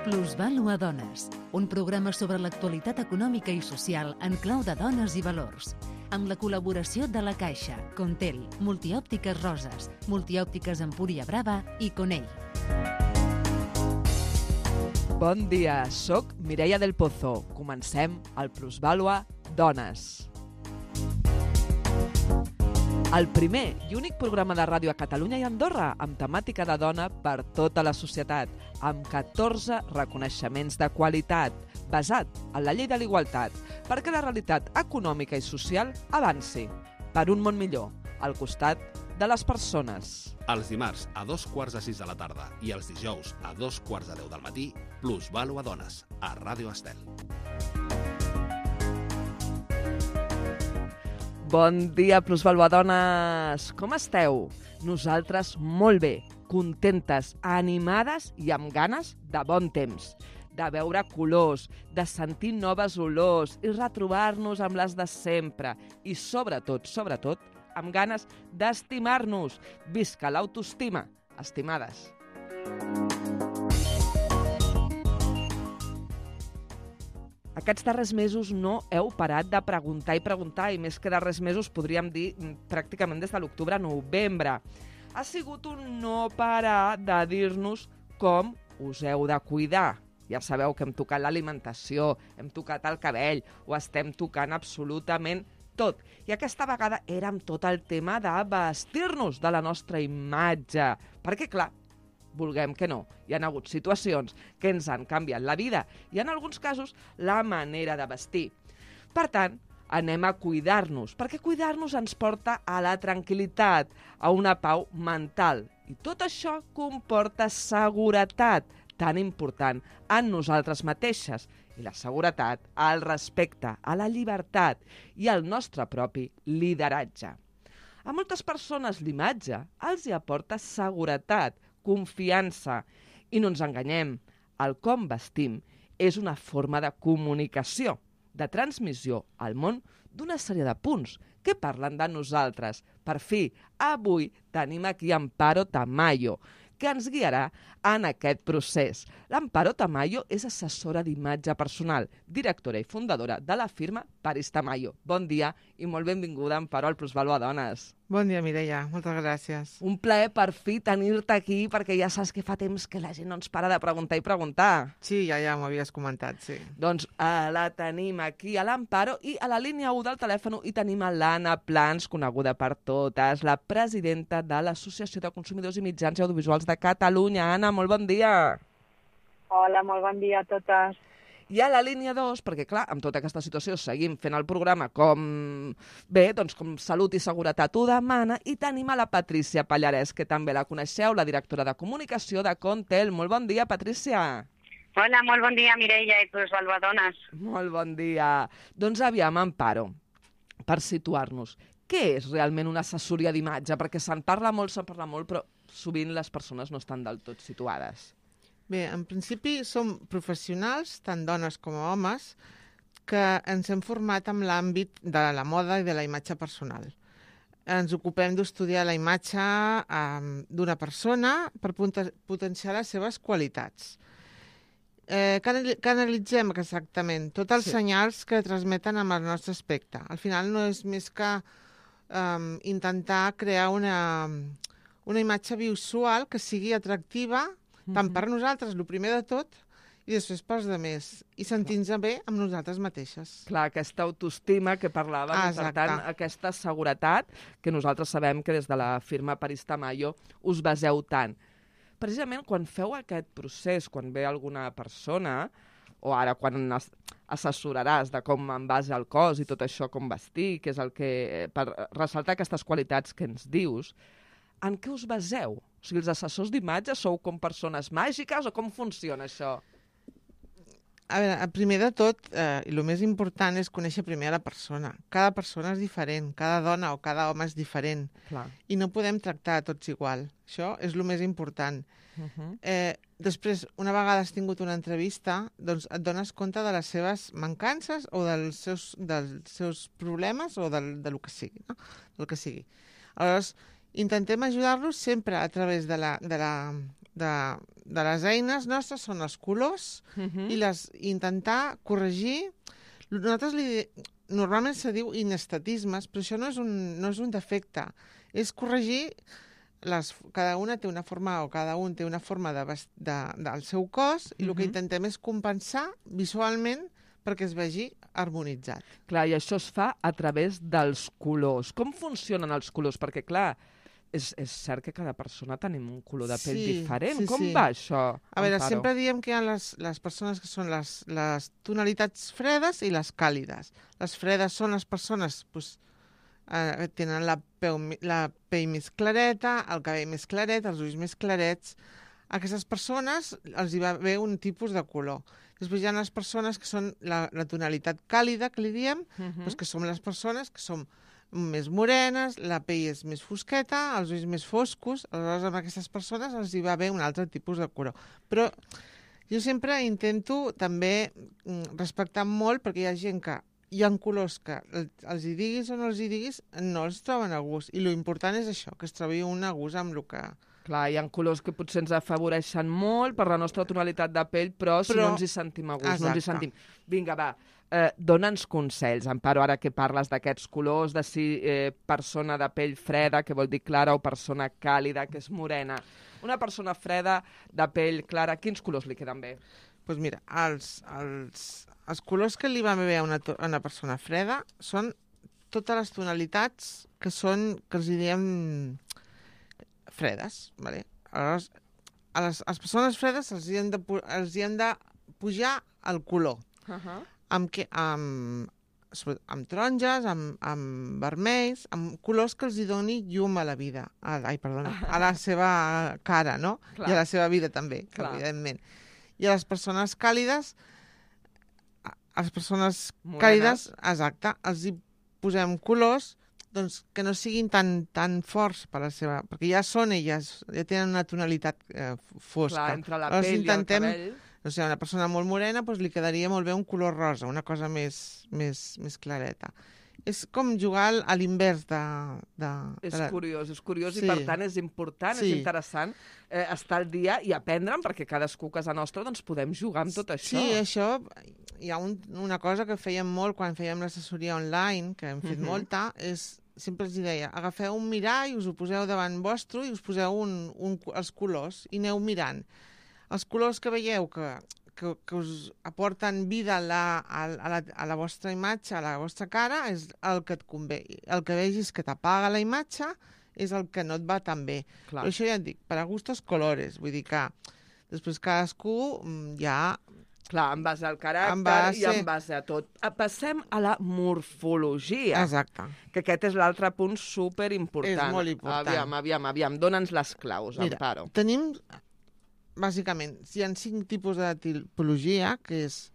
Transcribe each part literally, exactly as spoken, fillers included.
Plusvàlua Dones, un programa sobre l'actualitat econòmica i social en clau de dones i valors, amb la col·laboració de La Caixa, Contel, Multiòptiques Roses, Multiòptiques Empúria Brava i Conell. Bon dia, soc Mireia del Pozo. Comencem el Plusvàlua Dones. El primer i únic programa de ràdio a Catalunya i Andorra amb temàtica de dona per tota la societat, amb catorze reconeixements de qualitat, basat en la llei de l'igualtat, perquè la realitat econòmica i social avanci per un món millor, al costat de les persones. Els dimarts a dos quarts de sis de la tarda i els dijous a dos quarts de deu del matí, Plusvàlua Dones, a Ràdio Estel. Bon dia, Plusvàlua Dones! Com esteu? Nosaltres molt bé, contentes, animades i amb ganes de bon temps, de veure colors, de sentir noves olors i retrobar-nos amb les de sempre. I sobretot, sobretot, amb ganes d'estimar-nos. Visca l'autoestima, estimades! Aquests darrers mesos no heu parat de preguntar i preguntar, i més que darrers mesos podríem dir pràcticament des de l'octubre a novembre. Ha sigut un no parar de dir-nos com us heu de cuidar. Ja sabeu que hem tocat l'alimentació, hem tocat el cabell, ho estem tocant absolutament tot. I aquesta vegada era amb tot el tema de vestir-nos de la nostra imatge. Perquè, clar, vulguem que no, hi ha hagut situacions que ens han canviat la vida i en alguns casos la manera de vestir. Per tant, anem a cuidar-nos, perquè cuidar-nos ens porta a la tranquil·litat, a una pau mental. I tot això comporta seguretat, tan important en nosaltres mateixes. I la seguretat, el respecte, a la llibertat i al nostre propi lideratge. A moltes persones l'imatge els hi aporta seguretat, confiança. I no ens enganyem, el com vestim és una forma de comunicació, de transmissió al món d'una sèrie de punts que parlen de nosaltres. Per fi, avui tenim aquí Amparo Tamayo, que ens guiarà en aquest procés. L'Amparo Tamayo és assessora d'imatge personal, directora i fundadora de la firma Paris Tamayo. Bon dia i molt benvinguda, Amparo, al Plusvàlua Dones. Bon dia, Mireia. Moltes gràcies. Un plaer per fi tenir-te aquí, perquè ja saps que fa temps que la gent no ens para de preguntar i preguntar. Sí, ja ja m'ho havies comentat, sí. Doncs eh, la tenim aquí a l'Amparo i a la línia u del telèfon hi tenim a l'Anna Plans, coneguda per totes, la presidenta de l'Associació de Consumidors i Mitjans Audiovisuals de Catalunya. Anna, molt bon dia. Hola, molt bon dia a totes. I a la línia dos, perquè clar, amb tota aquesta situació seguim fent el programa com bé, doncs com Salut i Seguretat ho demana, i tenim a la Patrícia Pallarès, que també la coneixeu, la directora de comunicació de Contel. Molt bon dia, Patrícia. Hola, molt bon dia, Mireia i Plusvàlua Dones. Molt bon dia. Doncs aviam, Amparo, per situar-nos, què és realment una assessoria d'imatge? Perquè se'n parla molt, se'n parla molt, però sovint les persones no estan del tot situades. Bé, en principi som professionals, tant dones com homes, que ens hem format en l'àmbit de la moda i de la imatge personal. Ens ocupem d'estudiar la imatge um, d'una persona per potenciar les seves qualitats. Eh, que analitzem exactament tots els sí. senyals que transmeten amb el nostre aspecte. Al final no és més que um, intentar crear una, una imatge visual que sigui atractiva tant per nosaltres, el primer de tot, i després pels altres, i sentir-nos bé amb nosaltres mateixes. Clar, aquesta autoestima que parlàvem, ah, i per tant, aquesta seguretat que nosaltres sabem que des de la firma Paris Tamayo us baseu tant. Precisament quan feu aquest procés, quan ve alguna persona, o ara quan assessoraràs de com en base al cos i tot això, com vestir, que és el que, per ressaltar aquestes qualitats que ens dius, en què us baseu? O sigui, els assessors d'imatge sou com persones màgiques o com funciona això? A veure, primer de tot, eh, i el més important és conèixer primer a la persona. Cada persona és diferent, cada dona o cada home és diferent. Clar. I no podem tractar a tots igual. Això és el més important. Uh -huh. eh, després, una vegada has tingut una entrevista, doncs et dones compte de les seves mancances o dels seus, dels seus problemes o del, del que sigui. No? Del que sigui. Aleshores, intentem ajudar-los sempre a través de la, de la de, de les eines nostres són els colors Mhm. i les intentar corregir. Nosaltres li, normalment se diu inestatismes, però això no és un, no és un defecte. És corregir, les, cada una té una forma, o cada un té una forma de, vest- de, del seu cos, i el que Mhm. intentem és compensar visualment perquè es vegi harmonitzat. Clar, i això es fa a través dels colors. Com funcionen els colors? Perquè, clar, és, és cert que cada persona tenim un color de pell Sí, diferent. sí, Com sí. va això, A veure, Amparo? sempre diem que hi ha les, les persones que són les, les tonalitats fredes i les càlides. Les fredes són les persones pues, eh, que tenen la, peu, mi- la pell més clareta, el cabell més claret, els ulls més clarets. A aquestes persones els hi va bé un tipus de color. Després hi ha les persones que són la, la tonalitat càlida, que li diem, Mhm. doncs que som les persones que som més morenes, la pell és més fosqueta, els ulls més foscos, aleshores amb aquestes persones els hi va bé un altre tipus de color. Però jo sempre intento també mm, respectar molt, perquè hi ha gent que hi ha colors que el- els hi diguis o no els hi diguis, no els troben a gust. I lo important és això, que es trobi un a gust amb el que... Clar, hi ha colors que potser ens afavoreixen molt per la nostra tonalitat de pell, però, si Però- no ens hi sentim a gust, no ens hi Exacte. sentim. Vinga, va, eh, dona'ns consells, Amparo, ara que parles d'aquests colors, de si eh, persona de pell freda, que vol dir clara, o persona càlida, que és morena. Una persona freda, de pell clara, quins colors li queden bé? Doncs pues mira, els, els, els colors que li van bé a una, to- a una persona freda són totes les tonalitats que són, que els hi diem fredes, ¿vale? Aleshores, a les, a les persones fredes els hi hem de, pu- els hi hem de pujar el color. Uh -huh. Amb, que, amb, sobretot amb taronges, amb, amb vermells, amb colors que els hi doni llum a la vida. A, ai, perdona, a la seva cara, no? Clar. I a la seva vida també, Clar. evidentment. I a les persones càlides, a a les persones Morenes. càlides, exacte, els hi posem colors doncs, que no siguin tan, tan forts per la seva... Perquè ja són elles, ja tenen una tonalitat eh, fosca. Clar, entre la Aleshores pell intentem, i el cabell... no sé, a una persona molt morena doncs, li quedaria molt bé un color rosa, una cosa més, més, més clareta. És com jugar al- a l'invers de, de, És de la... curiós, és curiós Sí. i per tant és important, Sí. és interessant eh, estar al dia i aprendre'n, perquè cadascú a casa nostra doncs, podem jugar amb tot això. Sí, això, hi ha un, una cosa que fèiem molt quan fèiem l'assessoria online, que hem fet Mhm. molta, és, sempre els hi deia, agafeu un mirall, us ho poseu davant vostre i us poseu un, un, els colors i aneu mirant. Els colors que veieu que, que, que us aporten vida a la, a, a, la, a la vostra imatge, a la vostra cara, és el que et convé. El que vegis que t'apaga la imatge és el que no et va tan bé. Clar. Però això ja et dic, per a gustos colores, vull dir que després cadascú mm, ja... Clar, en base al caràcter En base- i en base a tot. Ah, passem a la morfologia, Exacte. que aquest és l'altre punt superimportant. És molt important. Aviam, aviam, aviam, dona'ns les claus, Mira, Amparo. tenim, bàsicament, hi ha cinc tipus de tipologia, que és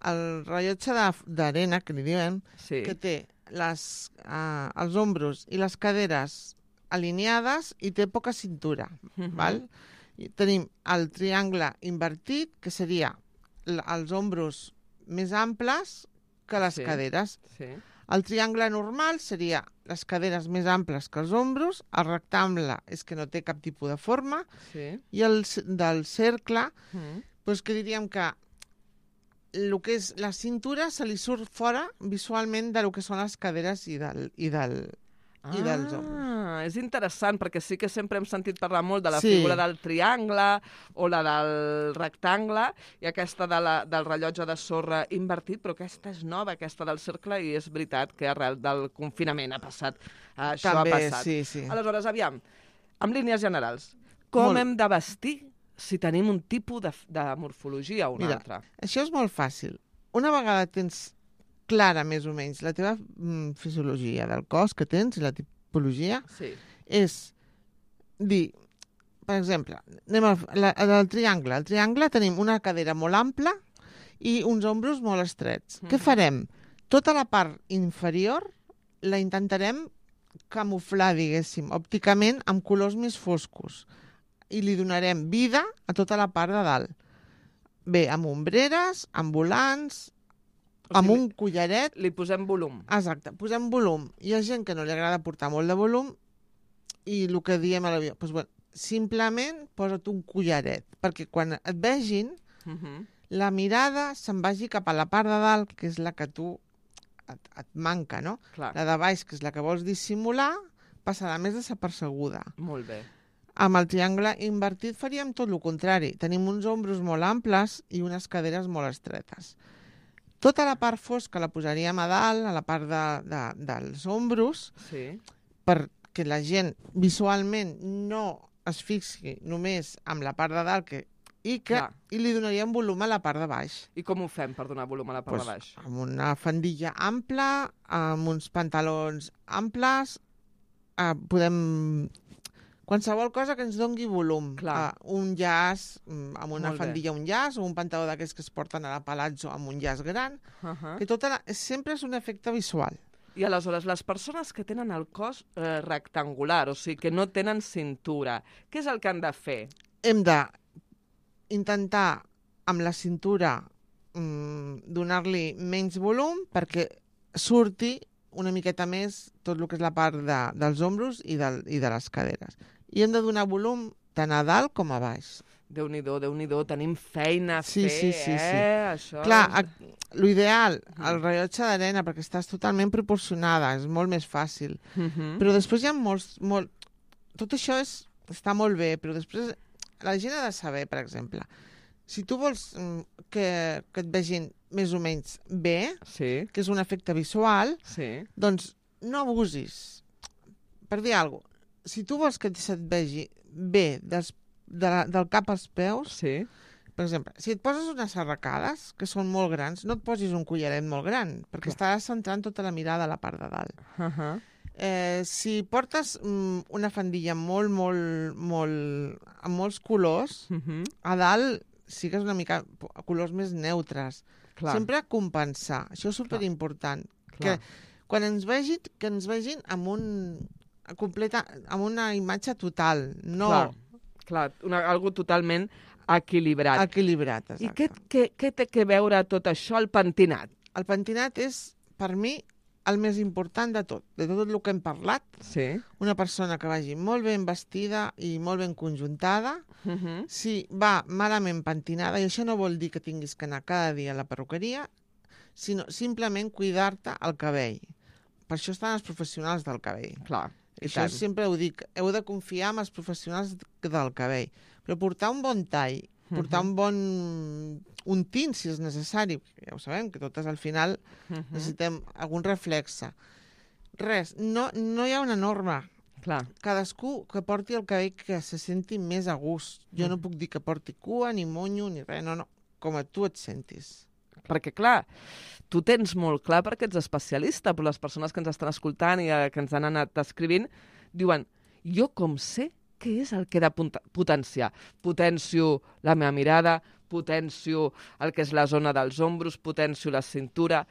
el rellotge de- d'arena, que li diem, Sí. que té les, uh, els ombros i les caderes alineades i té poca cintura. Mhm. Val? I tenim el triangle invertit, que seria l- els ombros més amples que les Sí. caderes. Sí. El triangle normal seria les caderes més amples que els ombros, el rectangle és que no té cap tipus de forma, Sí. i el c- del cercle, Mm. doncs que diríem que el que és la cintura se li surt fora visualment de lo que són les caderes i del, i del, i dels ombros. Ah, és interessant, perquè sí que sempre hem sentit parlar molt de la Sí. figura del triangle o la del rectangle i aquesta de la, del rellotge de sorra invertit, però aquesta és nova, aquesta del cercle, i és veritat que arrel del confinament ha passat. Això També, ha passat. sí, sí. Aleshores, aviam, amb línies generals, com Molt. hem de vestir si tenim un tipus de, de morfologia o un Mira, altre? Això és molt fàcil. Una vegada tens clara, més o menys, la teva mm, fisiologia del cos que tens i la tipologia, Sí. és dir, per exemple, anem al la, del triangle. Al triangle tenim una cadera molt ampla i uns ombros molt estrets. Mhm. Què farem? Tota la part inferior la intentarem camuflar, diguéssim, òpticament amb colors més foscos i li donarem vida a tota la part de dalt. Bé, amb ombreres, amb volants, O amb sigui, un collaret. Li posem volum. Exacte, posem volum. Hi ha gent que no li agrada portar molt de volum i el que diem a l'avió, doncs, bueno, simplement posa't un collaret, perquè quan et vegin, Uh -huh. la mirada se'n vagi cap a la part de dalt, que és la que tu et, et manca, no? Clar, La de baix, que és la que vols dissimular, passarà més desapercebuda. molt bé. Amb el triangle invertit faríem tot el contrari. Tenim uns ombros molt amples i unes caderes molt estretes. Tota la part fosca la posaríem a dalt, a la part de, de, dels ombros, Sí, perquè la gent visualment no es fixi només amb la part de dalt que, i, que, Clar. i li donaríem volum a la part de baix. i com ho fem per donar volum a la part Pues, de baix? amb una faldilla ampla, amb uns pantalons amples, eh, podem... Qualsevol cosa que ens dongui volum. Clar. Eh, un llaç, mm, amb una Molt bé. faldilla un llaç, o un pantaló d'aquests que es porten a la palazzo amb un llaç gran, Uh -huh. que tota la... sempre és un efecte visual. I aleshores, les persones que tenen el cos eh, rectangular, o sigui, que no tenen cintura, què és el que han de fer? Hem de intentar, amb la cintura, mm, donar-li menys volum perquè surti una miqueta més tot el que és la part de, dels ombros i, del, i de les caderes. I hem de donar volum tant a dalt com a baix. Déu-n'hi-do, Déu-n'hi-do, tenim feina a Sí, fer, sí, sí, eh? sí. Això Clar, és... a, l'ideal, el rellotge d'arena, perquè estàs totalment proporcionada, és molt més fàcil. Uh -huh. Però després hi ha molts... Molt... Tot això és, està molt bé, però després la gent ha de saber, per exemple, si tu vols mm, que, que et vegin més o menys bé, Sí, que és un efecte visual, sí. doncs no abusis. Per dir alguna cosa, si tu vols que se't vegi bé des, de la, del cap als peus, Sí, per exemple, si et poses unes arracades, que són molt grans, no et posis un collaret molt gran, perquè Clar. estaràs centrant tota la mirada a la part de dalt. uh -huh. Eh, si portes mm, una faldilla molt, molt, molt... amb molts colors, Uh -huh. a dalt sigues una mica a colors més neutres. Clar, Sempre compensar. Això és superimportant. clar. Que quan ens vegin, que ens vegin amb un completa, amb una imatge total, no Clar, clar, una, algo totalment equilibrat. equilibrat. I Exacte. què, què, què té que veure tot això, el pentinat? El pentinat és, per mi, el més important de tot, de tot el que hem parlat. Sí. Una persona que vagi molt ben vestida i molt ben conjuntada. Uh -huh. Si va malament pentinada, i això no vol dir que tinguis que anar cada dia a la perruqueria, sinó simplement cuidar-te el cabell. Per això estan els professionals del cabell. Clar, i Això tant. sempre ho dic, heu de confiar en els professionals del cabell. Però portar un bon tall, portar Mhm. un bon un tint, si és necessari, ja ho sabem, que totes al final Uh -huh. necessitem algun reflexe. Res, no, no hi ha una norma. Clar, Cadascú que porti el cabell que se senti més a gust. Jo Mm. no puc dir que porti cua, ni monyo, ni res, no, no. Com a tu et sentis. perquè clar, tu tens molt clar perquè ets especialista, però les persones que ens estan escoltant i eh, que ens han anat escrivint diuen, jo com sé què és el que he de punta- potenciar? Potencio la meva mirada, potencio el que és la zona dels ombros, potencio la cintura.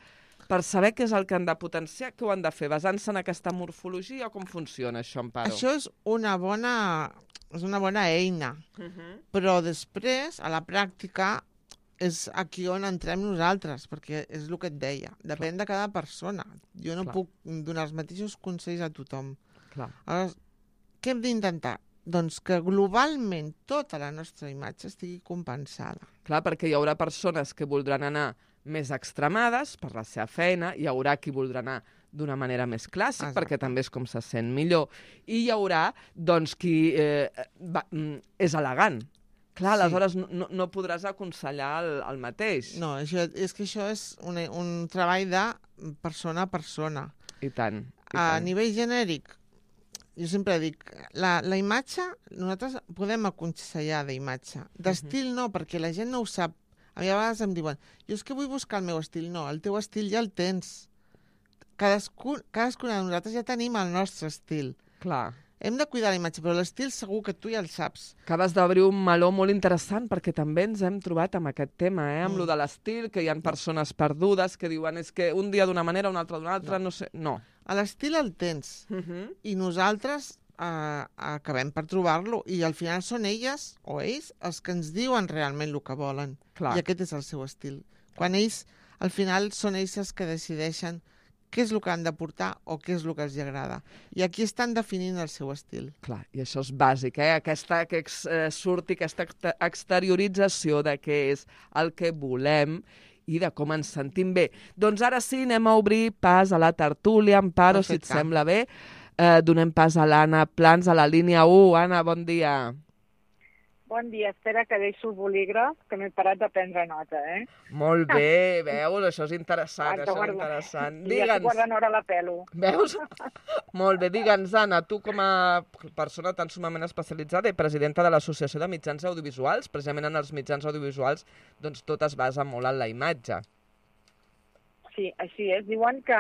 Per saber què és el que han de potenciar, què ho han de fer? Basant-se en aquesta morfologia o com funciona això, Amparo? Això és una bona, és una bona eina, Uh -huh. però després, a la pràctica, és aquí on entrem nosaltres, perquè és el que et deia. Depèn de cada persona. Jo no Clar. puc donar els mateixos consells a tothom. Clar. Aleshores, què hem d'intentar? Doncs que globalment tota la nostra imatge estigui compensada. Clar, perquè hi haurà persones que voldran anar més extremades per la seva feina, hi haurà qui voldrà anar d'una manera més clàssica, Exacte. perquè també és com se sent millor, i hi haurà, doncs, qui eh, va, mm, és elegant. Clar, Sí. aleshores no, no, no podràs aconsellar el, el mateix. No, això, és que això és un, un treball de persona a persona. I tant. I A tant. nivell genèric, jo sempre dic, la, la imatge, nosaltres podem aconsellar d'imatge. D'estil no, perquè la gent no ho sap. A mi a vegades em diuen, jo és que vull buscar el meu estil. No, el teu estil ja el tens. Cadascun, cadascuna de nosaltres ja tenim el nostre estil. Clar. Hem de cuidar la imatge, però l'estil segur que tu ja el saps. Acabes d'obrir un meló molt interessant perquè també ens hem trobat amb aquest tema, eh? amb Mm. lo de l'estil, que hi ha persones perdudes que diuen és que un dia d'una manera, un altre d'una altra, no, no sé... No. L'estil el tens. Uh -huh. I nosaltres eh, acabem per trobar-lo. I al final són elles o ells els que ens diuen realment el que volen. Clar. I aquest és el seu estil. Quan ells, al final, són ells els que decideixen què és el que han de portar o què és el que els agrada. I aquí estan definint el seu estil. Clar, i això és bàsic, eh? Aquesta, que ex, eh, surti aquesta exteriorització de què és el que volem i de com ens sentim bé. Doncs ara sí, anem a obrir pas a la tertúlia. Amparo, si et sembla bé. Eh, donem pas a l'Anna Plans, a la línia u. Anna, bon dia. Bon dia, espera que deixo el bolígraf, que m'he parat de prendre nota, eh? Molt bé, veus? Això és interessant, Guarda, això és guarda. interessant. I ja estic guardant hora a la pelo. Veus? Molt bé, digue'ns, Anna, tu com a persona tan sumament especialitzada i presidenta de l'Associació de Mitjans Audiovisuals, precisament en els mitjans audiovisuals, doncs tot es basa molt en la imatge. Sí, així és. Diuen que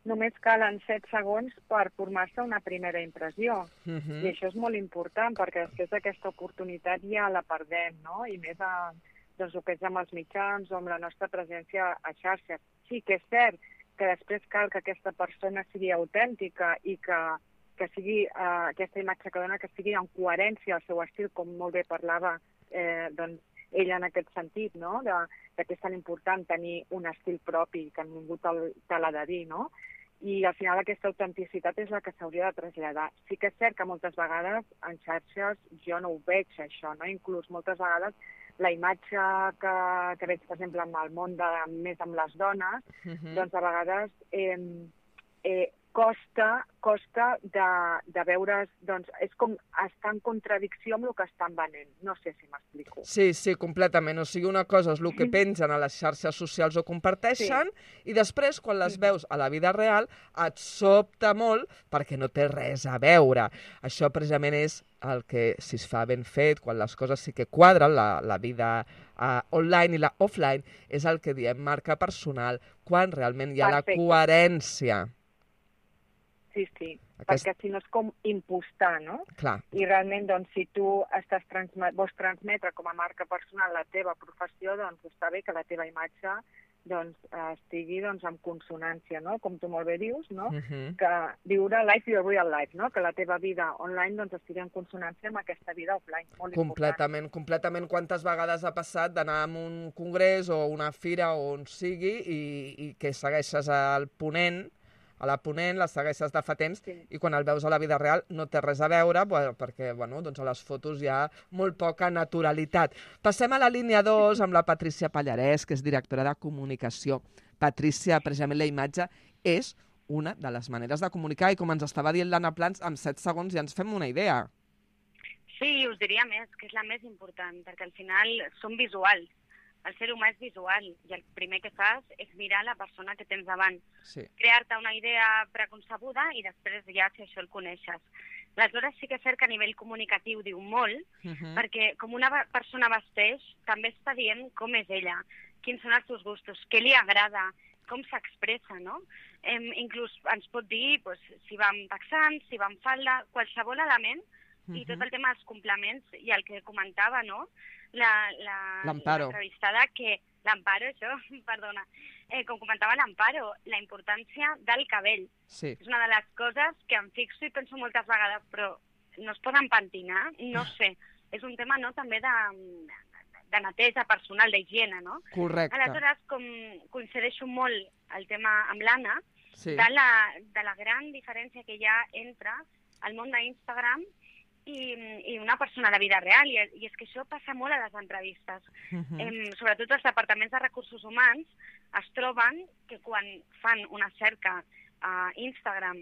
només calen set segons per formar-se una primera impressió. Uh -huh. I això és molt important, perquè després d'aquesta oportunitat ja la perdem, no? I més a, doncs, el que és amb els mitjans o amb la nostra presència a xarxes. Sí que és cert que després cal que aquesta persona sigui autèntica i que, que sigui eh, aquesta imatge que dona que sigui en coherència al seu estil, com molt bé parlava eh, doncs, ella en aquest sentit, no? De, de que és tan important tenir un estil propi, que ningú te, te l'ha de dir, no? I al final aquesta autenticitat és la que s'hauria de traslladar. Sí que és cert que moltes vegades en xarxes jo no ho veig, això, no? Inclús moltes vegades la imatge que, que veig, per exemple, en el món de, més amb les dones, uh -huh. doncs a vegades eh, eh, costa, costa de, de veure's, doncs és com estar en contradicció amb el que estan venent. No sé si m'explico. Sí, sí, completament. O sigui, una cosa és el que pengen a les xarxes socials o comparteixen, sí. I després, quan les veus a la vida real, et sobta molt perquè no té res a veure. Això precisament és el que, si es fa ben fet, quan les coses sí que quadren, la, la vida uh, online i la offline, és el que diem marca personal, quan realment hi ha Perfecte. La coherència. Sí, sí, Aquest... perquè si no és com impostar, no? Clar. I realment, doncs, si tu estàs transmet... vols transmetre com a marca personal la teva professió, doncs està bé que la teva imatge doncs, estigui doncs, en consonància, no? Com tu molt bé dius, no? Uh -huh. Que viure life your real life, no? Que la teva vida online doncs, estigui en consonància amb aquesta vida offline. Molt completament, important. completament. Quantes vegades ha passat d'anar a un congrés o una fira o on sigui i, i que segueixes al ponent, a la ponent, la segueixes de fa temps, sí. I quan el veus a la vida real no té res a veure, bueno, perquè bueno, doncs a les fotos hi ha molt poca naturalitat. Passem a la línia dos amb la Patrícia Pallarès, que és directora de comunicació. Patrícia, precisament la imatge és una de les maneres de comunicar i com ens estava dient l'Anna Plans, en set segons ja ens fem una idea. Sí, us diria més, que és la més important, perquè al final som visuals. El ser humà és visual i el primer que fas és mirar la persona que tens davant. Sí. Crear-te una idea preconcebuda i després ja si això el coneixes. Aleshores sí que és cert que a nivell comunicatiu diu molt, uh -huh. perquè com una persona vesteix, també està dient com és ella, quins són els seus gustos, què li agrada, com s'expressa, no? Eh, inclús ens pot dir pues, si va amb texans, si va amb falda, qualsevol element, uh -huh. i tot el tema dels complements i el que comentava, no?, l'entrevistada, la, que l'Amparo, això, perdona, eh, com comentava l'Amparo, la importància del cabell. Sí. És una de les coses que em fixo i penso moltes vegades, però no es poden pentinar, no sé. És un tema, no?, també de, de neteja personal, d'higiene, no? Correcte. Aleshores, com coincideixo molt el tema amb l'Anna, sí. de, la, de la gran diferència que hi ha entre el món d'Instagram I, i una persona a la vida real, i, i és que això passa molt a les entrevistes. Uh-huh. eh, sobretot els departaments de recursos humans es troben que quan fan una cerca a Instagram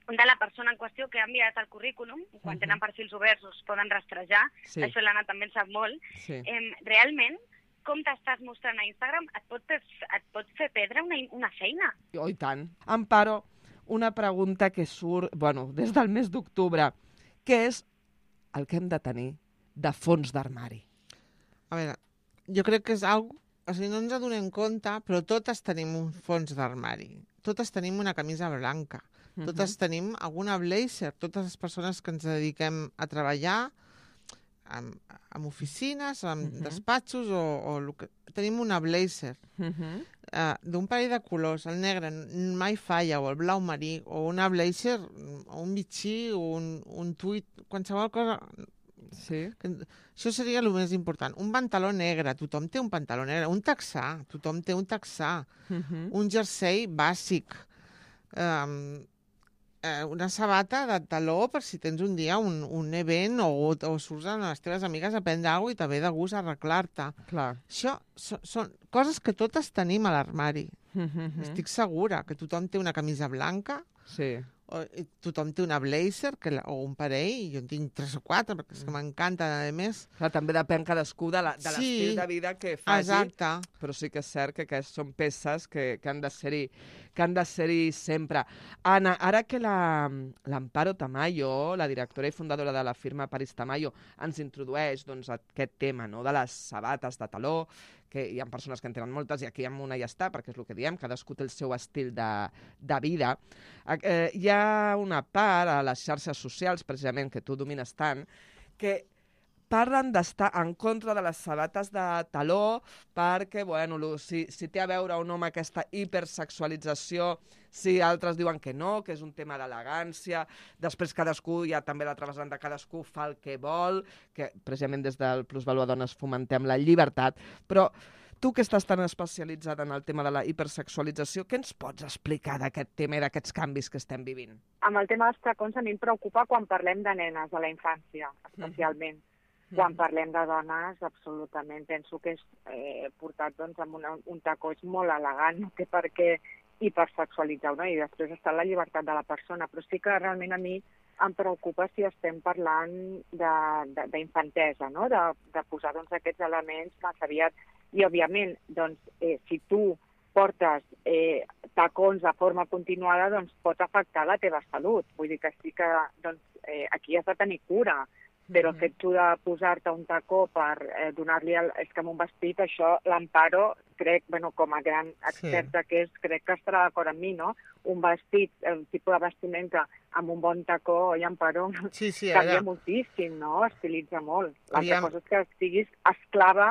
de la persona en qüestió que ha enviat el currículum, quan uh-huh. tenen perfils oberts es poden rastrejar, sí. Això l'Anna també en sap molt, sí. eh, realment com t'estàs mostrant a Instagram et pot, et pot fer perdre una, una feina. Oh, i tant. Amparo, una pregunta que surt, bueno, des del mes d'octubre. Què és el que hem de tenir de fons d'armari? A veure, jo crec que és algo... O sigui, no ens adonem compte, però totes tenim un fons d'armari. Totes tenim una camisa blanca. Uh-huh. Totes tenim alguna blazer. Totes les persones que ens dediquem a treballar en, en oficines, en uh-huh. despatxos, o, o lo que... tenim una blazer. Uh-huh. Uh, d'un parell de colors, el negre mai falla, o el blau marí, o una blazer, o un bitxí, o un, un tuit, qualsevol cosa... Sí. Que, això seria el més important. Un pantaló negre, tothom té un pantaló negre. Un texà, tothom té un texà. Uh-huh. Un jersei bàsic. Um, eh, una sabata de taló per si tens un dia un, un event o, o surts amb les teves amigues a prendre alguna cosa i te ve de gust arreglar-te. Clar. Això so, són coses que totes tenim a l'armari. Mm-hmm. Estic segura que tothom té una camisa blanca, Sí. o, i tothom té una blazer que, la- o un parell, i jo en tinc tres o quatre, perquè és que m'encanta, a més. Clar, també depèn cadascú de la- de Sí. l'estil de vida que faci. Exacte. Però sí que és cert que, que són peces que, que han de ser-hi que han de ser-hi sempre. Anna, ara que la- l'Amparo Tamayo, la directora i fundadora de la firma Paris Tamayo, ens introdueix doncs, aquest tema, no?, de les sabates de taló, que hi ha persones que en tenen moltes i aquí amb una ja està, perquè és el que diem, cadascú té el seu estil de, de vida. Eh, hi ha una part a les xarxes socials, precisament, que tu domines tant, que parlen d'estar en contra de les sabates de taló perquè, bueno, lo- si, si té a veure o no amb aquesta hipersexualització, si altres diuen que no, que és un tema d'elegància, després cadascú, hi ha també l'altra vessant de cadascú fa el que vol, que precisament des del Plusvalua Dones fomentem la llibertat, però tu que estàs tan especialitzada en el tema de la hipersexualització, què ens pots explicar d'aquest tema i d'aquests canvis que estem vivint? Amb el tema dels tacons a mi em preocupa quan parlem de nenes, de la infància, especialment. Quan parlem de dones, absolutament. Penso que és eh, portat doncs, amb una, un tacó és molt elegant, no té per què hipersexualitzar, no? I després està la llibertat de la persona. Però sí que realment a mi em preocupa si estem parlant d'infantesa, no? De, de posar doncs, aquests elements massa aviat. I, òbviament, doncs, eh, si tu portes eh, tacons de forma continuada, doncs pot afectar la teva salut. Vull dir que sí que doncs, eh, aquí has de tenir cura, però el fet tu de posar-te un tacó per eh, donar-li... El... És que amb un vestit, això, l'Amparo, crec, bueno, com a gran experta que és, crec que estarà d'acord amb mi, no? Un vestit, el tipus de vestimenta amb un bon tacó, oi, Amparo, Sí, sí, canvia ara... moltíssim, no? Estilitza molt. L'altra Aviam. cosa és que estiguis esclava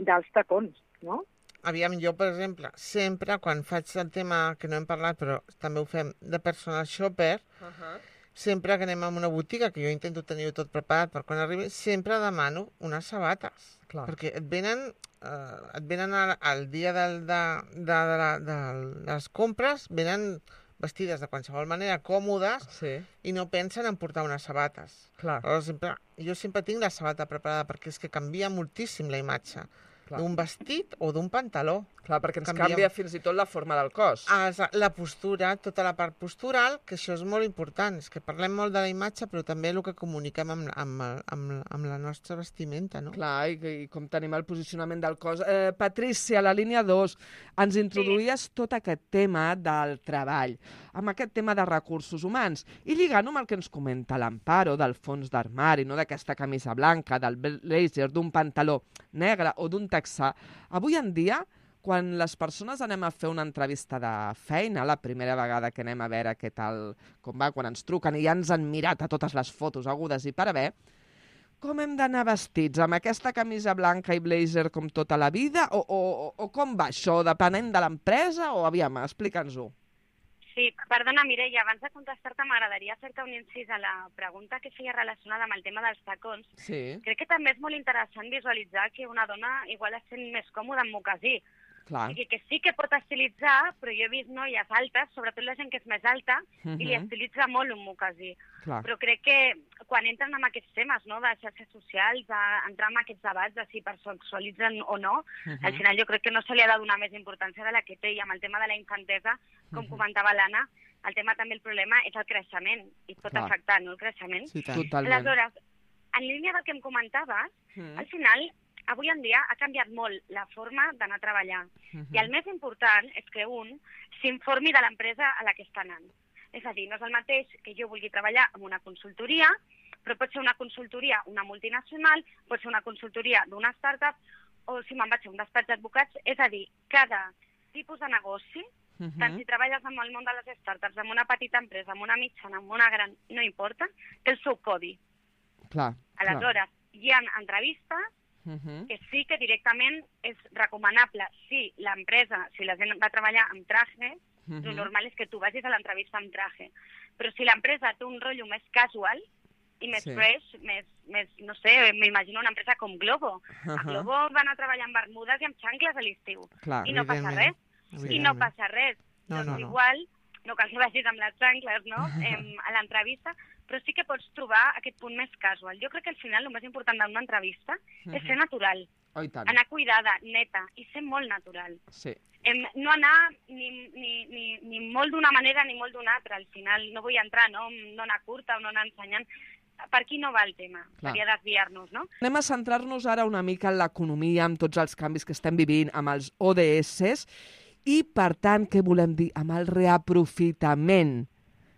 dels tacons, no? Aviam, jo, per exemple, sempre, quan faig el tema, que no hem parlat, però també ho fem, de personal shopper, Uh -huh. sempre que anem a una botiga, que jo intento tenir-ho tot preparat per quan arribi, sempre demano unes sabates. Clar. Perquè et venen, eh, et venen al, al dia del, de, de, de, la, de les compres, venen vestides de qualsevol manera, còmodes, Sí, i no pensen en portar unes sabates. clar. Aleshores, sempre, jo sempre tinc la sabata preparada, perquè és que canvia moltíssim la imatge Clar. d'un vestit o d'un pantaló. Clar, perquè ens Canvia- canvia fins i tot la forma del cos. Ah, la postura, tota la part postural, que això és molt important. És que parlem molt de la imatge, però també el que comuniquem amb, amb, amb, amb la nostra vestimenta, no? Clar, i, i com tenim el posicionament del cos. Eh, Patrícia, a la línia dos, ens introduïes sí. tot aquest tema del treball, amb aquest tema de recursos humans, i lligant amb el que ens comenta l'Amparo del fons d'armari, no? D'aquesta camisa blanca, del blazer, d'un pantaló negre o d'un texà. Avui en dia, quan les persones anem a fer una entrevista de feina, la primera vegada que anem a veure què tal, com va, quan ens truquen i ja ens han mirat a totes les fotos agudes i per haver, com hem d'anar vestits? Amb aquesta camisa blanca i blazer com tota la vida? O, o, o com va això? Depenent de l'empresa? O aviam, explica'ns-ho. Sí, perdona, Mireia, abans de contestar-te m'agradaria fer-te un incís a la pregunta que feia relacionada amb el tema dels tacons. Sí, Crec que també és molt interessant visualitzar que una dona igual es sent més còmoda amb mocasí. clar. O sigui que sí que pot estilitzar, però jo he vist noies altes, sobretot la gent que és més alta, Uh i li estilitza molt un mocasí. clar. Però crec que quan entren en aquests temes, no?, de xarxes socials, a entrar en aquests debats de si hipersexualitzen o no, Uh al final jo crec que no se li ha de donar més importància de la que té. I amb el tema de la infantesa, com comentava l'Anna, el tema també, el problema és el creixement, i pot Clar. afectar, no?, el creixement. Sí, tant. Totalment. Aleshores, en línia del que em comentaves, Mm. al final, avui en dia ha canviat molt la forma d'anar a treballar. Mhm. I el més important és que un s'informi de l'empresa a la que està anant. És a dir, no és el mateix que jo vulgui treballar en una consultoria, però pot ser una consultoria, una multinacional, pot ser una consultoria d'una startup, o si me'n vaig a un despatx d'advocats. És a dir, cada tipus de negoci, Mhm. tant si treballes en el món de les startups, en una petita empresa, en una mitjana, en una gran, no importa, té el seu codi. Clar. Aleshores, hi ha entrevistes Mhm. que sí que directament és recomanable si l'empresa, si la gent va a treballar amb traje, Mhm. el normal és que tu vagis a l'entrevista amb traje. Però si l'empresa té un rotllo més casual i més Sí. fresh, més, més, no sé, m'imagino una empresa com Globo. A Ahà. Globo van a treballar amb bermudes i amb xancles a l'estiu. Clar. I no passa res. Evidentment. I no passa res. No, doncs no, no. igual no cal que vagis amb les xancles, no?, eh, a l'entrevista, però sí que pots trobar aquest punt més casual. Jo crec que al final el més important d'una entrevista uh-huh. és ser natural, oh, anar cuidada, neta, i ser molt natural. Sí. Eh, no anar ni, ni, ni, ni molt d'una manera ni molt d'una altra. Al final no vull entrar, no, no anar curta o no anar ensenyant. Per aquí no va el tema, Clar. seria desviar-nos, no? Anem a centrar-nos ara una mica en l'economia, amb tots els canvis que estem vivint, amb els O D S, i, per tant, què volem dir? Amb el reaprofitament.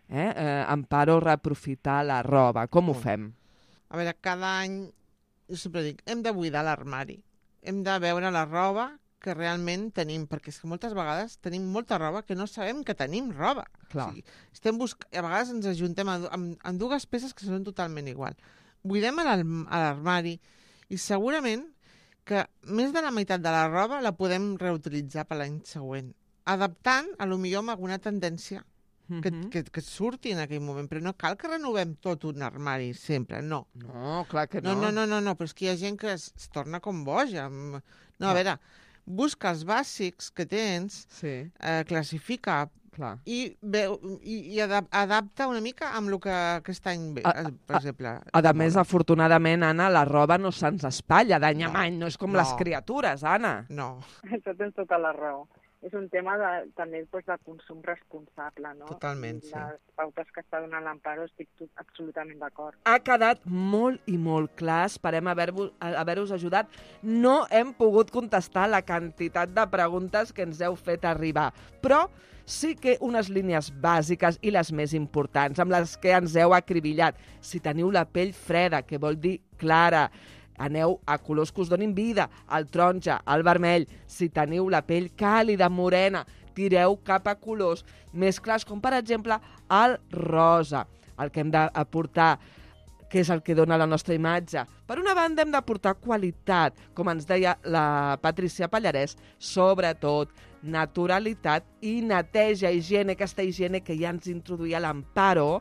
Eh? Eh, Amparo, reaprofitar la roba. Com ho fem? A veure, cada any, jo sempre dic, hem de buidar l'armari. Hem de veure la roba que realment tenim, perquè és que moltes vegades tenim molta roba que no sabem que tenim roba. Clar. O sigui, estem busc... A vegades ens ajuntem amb, amb, amb dues peces que són totalment igual. Buidem a l'armari i segurament que més de la meitat de la roba la podem reutilitzar per l'any següent, adaptant a lo millor amb alguna tendència que, Mhm. que, que surti en aquell moment, però no cal que renovem tot un armari sempre, no. No, clar que No, no. no, no, no, no, però és que hi ha gent que es, es torna com boja. amb- No, a No. veure, busca els bàsics que tens, Sí, eh, classifica clar. i, veu, i, i adap adapta una mica amb el que aquest any ve, A- eh, per exemple. A de més, moda. afortunadament, Anna, la roba no se'ns espatlla d'any a No, any, no és com no. les criatures, Anna. No, Això tens tota la raó. És un tema de, també doncs, de consum responsable, no? Totalment, I sí. les pautes que està donant l'Amparo estic tot, absolutament d'acord. Ha quedat molt i molt clar, esperem haver-vos haver-vos ajudat. No hem pogut contestar la quantitat de preguntes que ens heu fet arribar, però sí que unes línies bàsiques i les més importants, amb les que ens heu acribillat. Si teniu la pell freda, que vol dir clara, aneu a colors que us donin vida, el taronja, el vermell. Si teniu la pell càlida, morena, tireu cap a colors més clars, com per exemple el rosa, el que hem d'aportar, que és el que dona la nostra imatge. Per una banda, hem d'aportar qualitat, com ens deia la Patricia Pallarès, sobretot naturalitat i neteja, higiene, aquesta higiene que ja ens introduïa l'Amparo,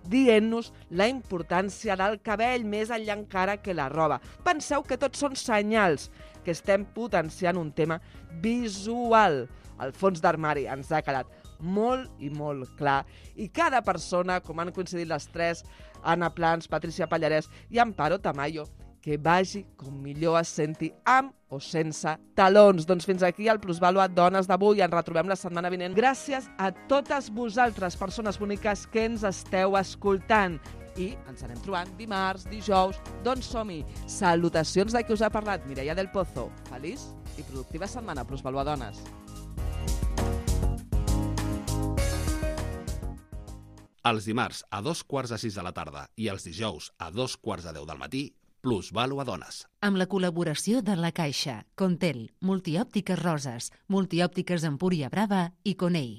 dient-nos la importància del cabell, més enllà encara que la roba. Penseu que tots són senyals que estem potenciant un tema visual. El fons d'armari ens ha quedat molt i molt clar. I cada persona, com han coincidit les tres, Anna Plans, Patricia Pallarès i Amparo Tamayo, que vagi com millor es senti, amb o sense talons. Doncs fins aquí el Plusvàlua Dones d'avui. Ens retrobem la setmana vinent. Gràcies a totes vosaltres, persones boniques que ens esteu escoltant. I ens anem trobant dimarts, dijous. Doncs som-hi. Salutacions de qui us ha parlat, Mireia del Pozo. Feliç i productiva setmana, Plusvàlua Dones. Els dimarts a dos quarts de sis de la tarda i els dijous a dos quarts de deu del matí, Plusvàlua Dones. Amb la col·laboració de La Caixa, Contel, Multiòptiques Roses, Multiòptiques Empúria Brava i Conei.